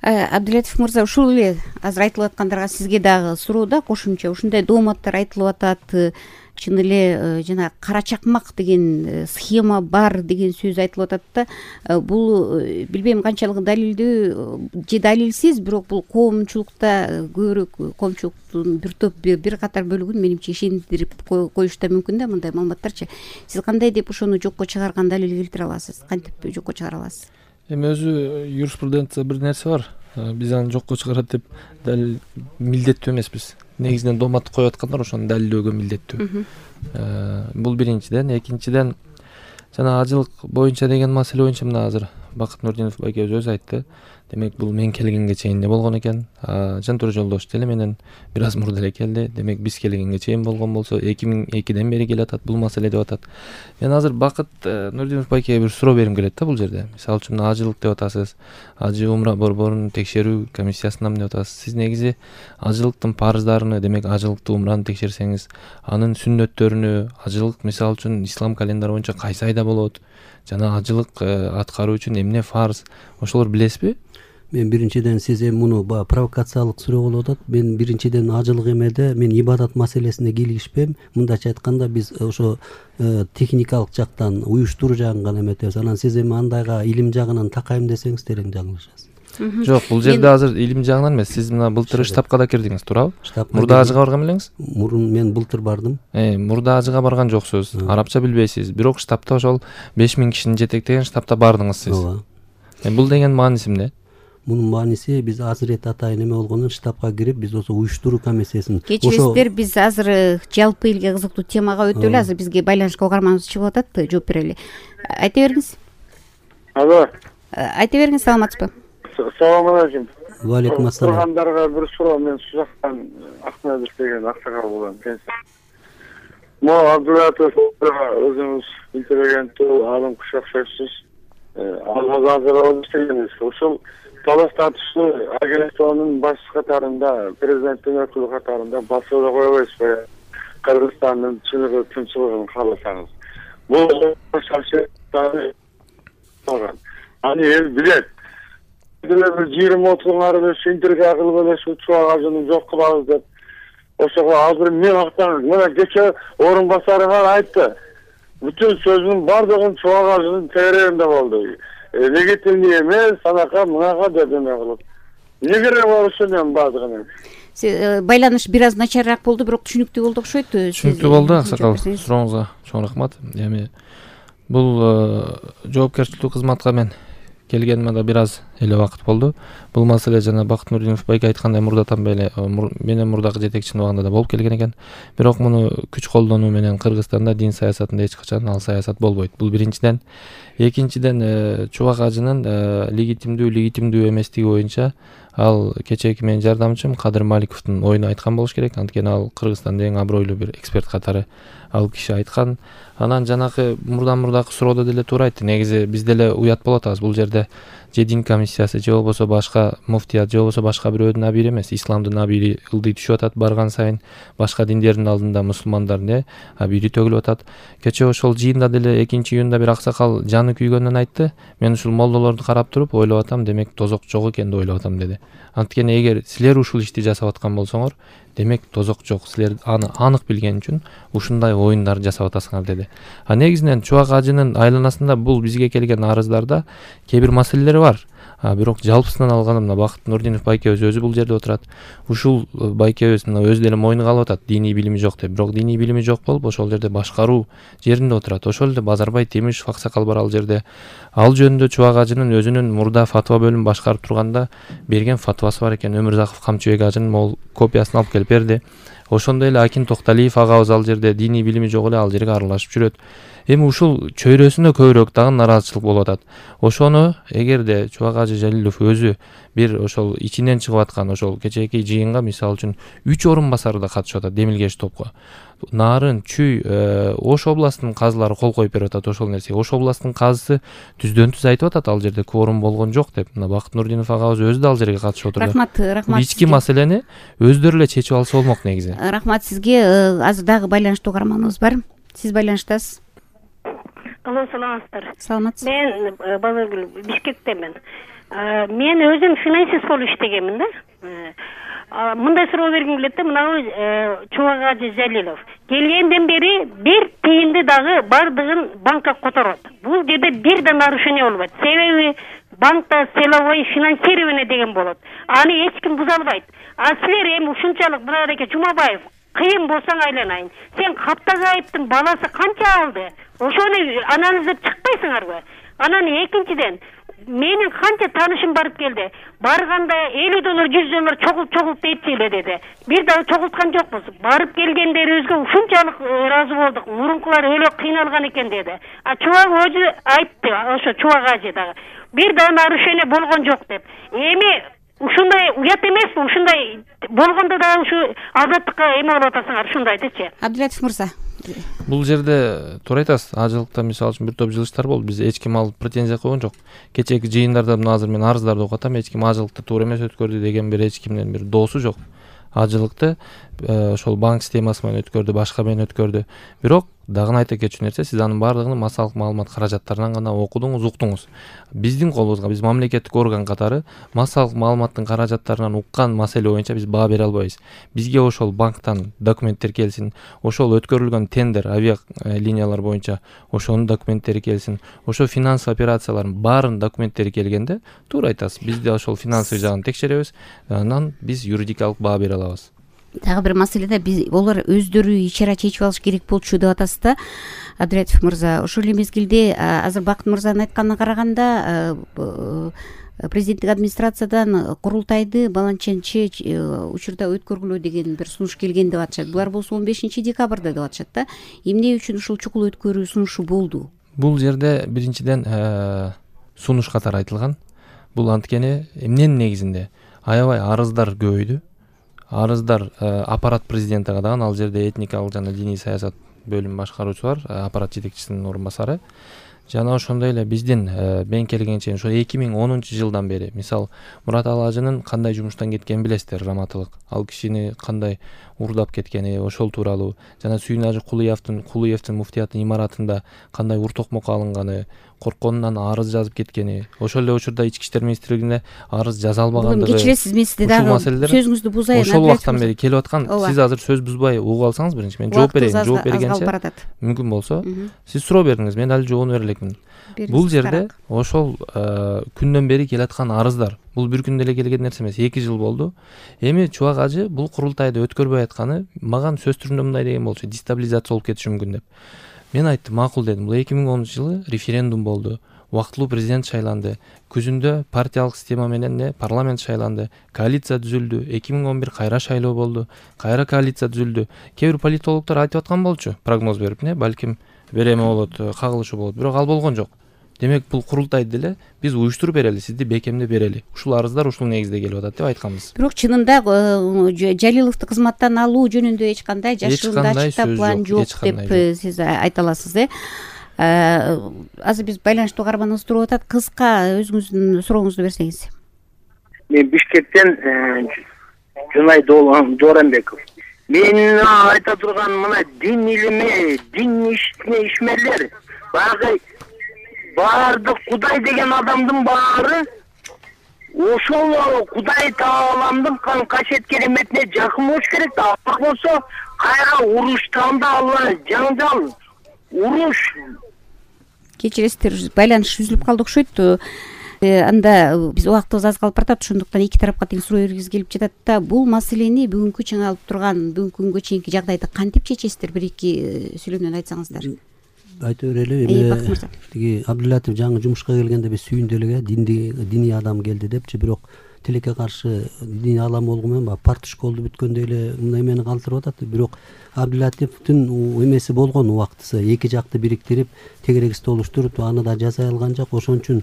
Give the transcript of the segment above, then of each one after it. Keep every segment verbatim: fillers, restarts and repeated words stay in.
Абдилатиф мырза, ушул эле азыр айтылып аткандарга сизге дагы суроо да кошумча. Ушундай дооматтар айтылып атат, чын эле жана кара чакмак деген схема бар деген сөз айтылып атат да. Бул билбейм канчалык далилдүү же далилсиз, бирок бул коомчулукта көбүрөөк коомчулуктун бир топ бир катар бөлүгүн менимче ишендирип коюш да мүмкүн да мындай маалыматтарчы. Сиз кандай деп ошону жокко чыгарган далил келтире аласыз? Кантип жокко чыгара аласыз? Эми өзү юриспруденция бир нерсе бар. Биз аны жокко чыгарат деп далил милдеттүү эмеспиз. Негизинен доомат коюп аткандар ошону далилдөөгө милдеттүү. Бул биринчиден. Экинчиден, жана ажылык боюнча деген маселе боюнча мына азыр Бакыт Нурдинов байкебиз өзү айтты. Демек бул мен келгенге чейин эле болгон экен. Жантура Жолдош деле менен бир аз мурда эле келди. Демек биз келгенге чейин болгон болсо эки миң экиден бери келатат бул маселе деп атат. Мен азыр Бакыт Нурдинов байкеге бир суроо бергим келет да бул жерде. Мисалы үчүн ажылык деп атасыз, ажы умра борборун текшерүү комиссиясынан деп атасыз. Сиз негизи ажылыктын парыздарыны, демек ажылыкты умраны текшерсеңиз, анын сүннөттөрүнү, ажылык мисалы үчүн ислам календары боюнча кайсы айда болот, жана ажылык аткаруу үчүн эмне фарз, ошолор билесизби? Мен биринчиден сиз эми муну провокациялык суроо болуп атат. Мен биринчиден ажылык эмеде мен ибадат маселесине кийлигишпейм. Мындайча айтканда биз ошо техникалык жактан, уюштуруу жагын гана эметебиз. Анан сиз эми андайга илим жагынан такайм десеңиз терең жаңылышасыз. Жок, бул жерде азыр илим жагынан эмес. Сиз мына былтыр штабка да кирдиңиз, туурабы? Мурда ажыга барган белеңиз? Мурун мен былтыр бардым. Э, мурда ажыга барган жоксуз. Арабча билбейсиз. Бирок штабта ошол беш миң кишини жетектеген штабта бардыңыз сиз. Ооба. Э, бул деген мааниси эмне? Мунун мааниси биз Азырет атайын эме болгондон штабка кирип, биз ошо уюштуруу комиссиясын. Кечиресиздер, биз азыр жалпы элге кызыктуу темага өтөлү. Азыр бизге байланышка угарманыбыз чыгып атат, жооп берели. Айта бериңиз. Алло. Айта бериңиз, саламатсызбы? Салам алейкум. Ва алейкум ассалам. Тургандарга бир суроо, мен Сузактан Акмедов деген аксакал болом. Мо Абдулатов өзүңүз интеллигенттүү, алым куш окшойсуз. Ал азыр иштегенбиз. Ушул талаш тартыштуу агенттиктин баш катарында, президенттин өкүлү катарында басууга койбойсузбу? Кыргызстандын чыныгы тынччылыгын кааласаңыз. Бул шаршеттары болгон. Аны эл билет. Бир жыйырма отуз ары интрига кылып эле ушул чубак ажыны жок кылабыз деп. Ошого азыр мен актан, мына кече орун басарыңар айтты. Бүтүн сөзүнүн бардыгын чубак ажынын тегерегинде болду. Легитимдүү эмес, анака мынага деп эме кылып. Эмне керек бар ушунун бардыгынын? Байланыш бир аз начарыраак болду, бирок түшүнүктүү болду окшойт. Түшүнүктүү болду, аксакал. Сурооңузга чоң рахмат. Эми бул жоопкерчиликтүү кызматка мен келгениме да бир аз эле убакыт болду. Бул маселе жана Бакыт Нурдинов байке айткандай мурдатан бери менен мурдагы жетекчинин убагында да болуп келген экен. Бирок муну күч колдонуу менен Кыргызстанда дин саясатында эч качан ал саясат болбойт. Бул биринчиден. Экинчиден, чубак ажынын легитимдүү, легитимдүү эместиги боюнча ал кечээки менин жардамчым Кадыр Маликовдун оюну айткан болуш керек. Анткени ал Кыргызстандын эң абройлуу бир эксперт катары ал киши айткан. Анан жанакы мурдан мурдагы суроодо деле туура айтты. Негизи биз деле уят болуп атабыз. Бул жерде же дин комиссиясы, же болбосо башка муфтият, же болбосо башка бирөөдүн абири эмес, исламдын абири ылдый түшүп атат барган сайын. Башка диндердин алдында мусулмандардын абири төгүлүп атат. Кече ошол жыйында деле экинчи июнда бир аксакал жаны күйгөнүн айтты. Мен ушул молдолорду карап туруп ойлоп атам, демек тозок жок экен деп ойлоп атам деди. Анткени эгер силер ушул ишти жасап аткан болсоңор, демек тозок жок. Силер аны анык билген үчүн ушундай оюндар жасап атасыңар деди. А негизинен чубак ажынын айланасында бул бизге келген арыздарда кээ бир маселелер бар. А бирок жалпысынан алганда мына Бакыт Нурдинов байкебиз өзү бул жерде отурат. Ушул байкебиз мына өзү деле мойнуга алып атат, диний билими жок деп. Бирок диний билими жок болуп ошол жерде башкаруу жеринде отурат. Ошол эле Базарбай Темишев аксакал бар ал жерде. Ал жөнүндө чубак ажынын өзүнүн мурда фатва бөлүмүн башкарып турганда берген фатвасы бар экен. Өмүрзаков Камчыбек ажынын могул копиясын алып келип берди. Ошондой эле Акин Токталиев агабыз ал жерде диний билими жок эле ал жерге аралашып жүрөт. Эми ушул чөйрөсүнө көбүрөөк дагы нараазычылык болуп атат. Ошону эгерде Чубак ажы Жалилов өзү бир ошол ичинен чыгып аткан ошол кечээки жыйынга мисалы үчүн үч орун басары да катышып атат Демилгеш топко. Нарын, Чүй, Ош областынын казылары кол коюп берип атат ошол нерсеге. Ош областынын казысы түздөн түз айтып атат ал жерде кворум болгон жок деп. Мына Бакыт Нурдинов агабыз өзү да ал жерге катышып отурду. Рахмат, рахмат. Ички маселени өздөрү эле чечип алса болмок негизи. Рахмат сизге. Азыр дагы байланыштуу угарманыбыз бар. Сиз байланыштасыз. Алло, саламатсыздар. Саламатсыз. Мен Базаргүл Бишкектемен. Мен өзүм финансист болуп иштегенмин да. Мындай суроо бергим келет да, мынабы Чубак Ажы Жалилов келгенден бери бир тыйынды дагы бардыгын банкка которот. Бул жерде бир да нарушение болбойт. Себеби банкта целевой финансирование деген болот. Аны эч ким буза албайт. А силер эми ушунчалык Муратбек Жумабаев кыйын болсоң айланайын. Сен Каптагы айыптын баласы канча алды? Ошону анализдеп чыкпайсыңарбы? Анан экинчиден менин канча таанышым барып келди. Барганда элүү доллар, жүз доллар чогулт чогулт айтчы эле деди. Бир дагы чогулткан жокпуз. Барып келгендерибизге ушунчалык ыраазы болдук. Мурункулар өлө кыйналган экен деди. А Чубак Ажы айтты, ошо Чубак Ажы дагы бир дагы нарушение болгон жок деп. Эми ушундай уят эмеспи? Ушундай болгондо да ушу азаттыкка эме болуп атасыңар, ушундай айтычы. Абдулатов мырза. Бул жерде туура айтасыз. Ажылыкта мисалы үчүн бир топ жылыштар болду. Биз эч ким алып претензия койгон жок. Кечээки жыйындарда мына азыр мен арыздарды окуп атам. Эч ким ажылыкты туура эмес өткөрдү деген бир эч кимдин бир доосу жок. Ажылыкты ошол банк системасы менен өткөрдү, башка менен өткөрдү. Бирок дагы айта кетчү нерсе, сиз анын баардыгын массалык маалымат каражаттарынан гана окудуңуз, уктуңуз. Биздин колубузга, биз мамлекеттик орган катары массалык маалыматтын каражаттарынан уккан маселе боюнча биз баа бере албайбыз. Бизге ошол банктан документтер келсин, ошол өткөрүлгөн тендер, авиа линиялар боюнча ошонун документтери келсин, ошо финансовый операциялардын баарын документтери келгенде, туура айтасыз. Биз да ошол финансовый жагын текшеребиз, анан биз юридикалык баа бере алабыз. Дагы бир маселеде биз олар өздөрү ичара чечип алыш керек болчу деп атасыз да, Абдулатов мырза. Ошол эле мезгилде азыр Бакыт мырзанын айтканына караганда президенттик администрациядан курултайды баланченчи учурда өткөргүлө деген бир сунуш келген деп атышат. Булар болсо он бешинчи декабрда деп атышат да. Эмне үчүн ушул чукул өткөрүү сунушу болду? Бул жерде биринчиден сунуш катары айтылган. Бул анткени эмненин негизинде аябай арыздар көбөйдү. Арыздар аппарат президенти кадан, ал жерде этникалык жана диний саясат бөлүм башкаруучу бар, аппарат жетекчисинин орун басары. Жана ошондой эле биздин мен келгенче ошо эки миң онунчу жылдан бери, мисал Мураталы Ажынын кандай жумуштан кеткенин билесиздер, раматылык. Ал кишини кандай урдап кеткени, ошол тууралуу, жана Сүйүн Кулуевдин Кулуевдин муфтияттын имаратында кандай ур токмокко алынганы, коркконунан арыз жазып кеткени, ошол эле учурда Ички иштер министрлигине арыз жаза албагандыгы. Кечиресиз, мен сизди дагы сөзүңүздү бузайын. Ошол убактан бери келип аткан, сиз азыр сөз бузбай угуп алсаңыз биринчи, мен жооп берейин. Жооп бергенче мүмкүн болсо сиз суроо бериңиз, мен ал жообун бере элекмин. Бул жерде ошол күндөн бери келаткан арыздар, бул бир күндө эле келген нерсе эмес, эки жыл болду. Эми Чубак Ажы бул курултайды өткөрбөй атканы мага сөз түрүндө мындай деген болчу, дестабилизация болуп кетиши мүмкүн деп. Мен айттым, макул дедим. Бул эки миң онунчу жылы референдум болду. Убактылуу президент шайланды. Күзүндө партиялык система менен не парламент шайланды. Коалиция түзүлдү. эки миң он бир кайра шайлоо болду. Кайра коалиция түзүлдү. Кээ бир политологдор айтып аткан болчу, прогноз берип, не, балким береме болот, кагылышы болот. Бирок ал болгон жок. Демек бул курултайды деле биз уюштуруп берели, сизди бекемдеп берели. Ушул арыздар ушул негизде келип атат деп айтканбыз. Бирок чынында Жалиловду кызматтан алуу жөнүндө эч кандай жашырундачта план жок деп сиз айта аласыз, э? Азыр биз байланыштуу каарманыбыз туруп атат. Кыска өзүңүздүн сурооңузду берсеңиз. Мен Бишкектен Жунай Дооранбеков. Мен айта турган мына дин илими, дин ишмерлер баягы баардык Кудай деген адамдын баары ошол Кудай Тааламдын кашет кереметине жакын болуш керек да. Ал болсо кайра уруштанда алла жаңжал, уруш. Кечиресиздер, байланыш үзүлүп калды окшойт. Анда биз убактыбыз аз калып баратат, ошондуктан эки тарапка тең суроо бергибиз келип жатат да. Бул маселени бүгүнкү чыңалып турган, бүгүнкү күнгө чейинки жагдайды кантип чечесиздер? Бир эки сүйлөмдөн айтсаңыздар. Айта берели. Эми тиги Абдулатов жаңы жумушка келгенде биз Сүйүндө эле диний адам келди депчи, бирок тилекке каршы диний адам болгон менен баягы парт школду бүткөндөй эле мындай эмени калтырып атат. Бирок Абдулатовдун эмеси болгон убактысы, эки жакты бириктирип, тегерек столуштуруп, аны да жасай алган жок. Ошон үчүн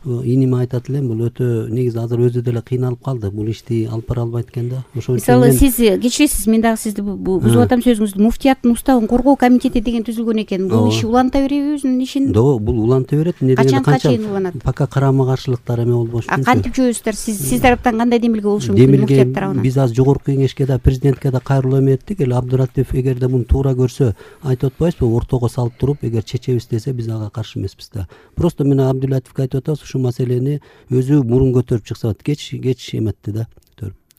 иниме айтат элем, бул өтө негизи азыр өзү деле кыйналып калды. Бул ишти алып бара албайт экен да. Ошон үчүн мисалы сиз кечиресиз, мен дагы сизди бузуп атам сөзүңүздү. Муфтияттын устабын коргоо комитети деген түзүлгөн экен. Бул иши уланта береби өзүнүн ишин? До, бул уланта берет. Эмне дегенде канча уланат? Пока карама каршылыктар эме болбош үчүн. А кантип жөөбүздөр? Сиз сиз тараптан кандай демилге болушу мүмкүн муфтият тарабынан? Биз азыр жогорку кеңешке да, президентке да кайрылуу эме эттик. Эл Абдулатов эгерде муну туура көрсө, айтып атпайбызбы, ортого салып туруп, эгер чечебиз десе, биз ага каршы эмеспиз да. Просто мен Абдулатовго айтып атабыз, ушу ушул маселени өзү мурун көтөрүп чыкса болот. Кеч кеч эметти да.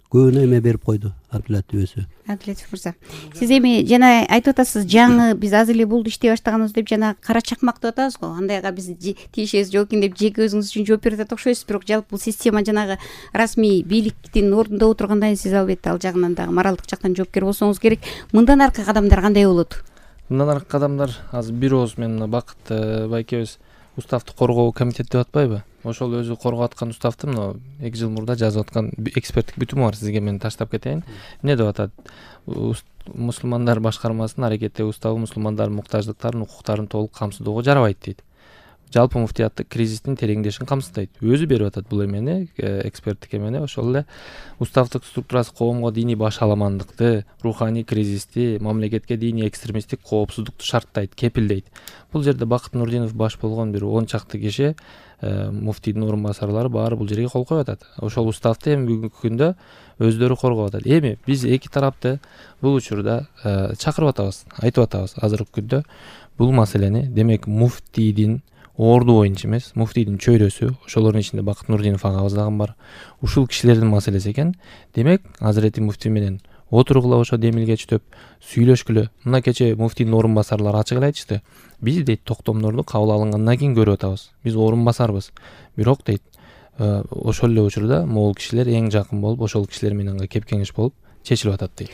Көбүнө эме берип койду Абдулатип өзү. Абдулатип мырза, сиз эми жана айтып атасыз, жаңы биз азыр эле болду иштей баштаганбыз деп, жана кара чакмак деп атабыз го. Андайга биз тиешебиз жок экен деп жеке өзүңүз үчүн жооп берип атат окшойсуз. Бирок жалпы бул система жанагы расмий бийликтин ордунда отургандан кийин сиз албетте ал жагынан дагы моралдык жактан жоопкер болсоңуз керек. Мындан аркы кадамдар кандай болот? Мындан аркы кадамдар азыр бир ооз мен мына Бакыт байкебиз уставды коргоо комитети деп атпайбы? Ошол өзү коргоп аткан уставды мына эки жыл мурда жазып аткан эксперттик бүтүмү бар. Сизге мен таштап кетейин. Эмне деп атат? Мусулмандар башкармасынын аракети уставы мусулмандардын муктаждыктарын, укуктарын толук камсыздоого жарабайт дейт. Жалпы муфтияттык кризистин тереңдешин камсыздайт. Өзү берип атат бул эмени, эксперттик эмени. Ошол эле уставдык структурасы коомго диний башаламандыкты, руханий кризисти, мамлекетке диний экстремисттик коопсуздукту шарттайт, кепилдейт. Бул жерде Бакыт Нурдинов баш болгон бир он чакты киши, муфтийдин орун басарлары баары бул жерге кол коюп атат. Ошол уставды эми бүгүнкү күндө өздөрү коргоп атат. Эми биз эки тарапты бул учурда чакырып атабыз, айтып атабыз. Азыркы күндө бул маселени, демек, муфтийдин орду боюнча эмес, муфтийдин чөйрөсү, ошолордун ичинде Бакыт Нурдинов агабыз дагы бар. Ушул кишилердин маселеси экен. Демек, Азирети муфтий менен отургула, ошо демилгечтөп сүйлөшкүлө. Мына кече муфтийдин орун басарлары ачык эле айтышты. Биз дейт токтомдорду кабыл алынгандан кийин көрүп атабыз. Биз орун басарбыз. Бирок дейт, ошол эле учурда могул кишилер эң жакын болуп, ошол кишилер менен кеп кеңеш болуп чечилип атат дейт.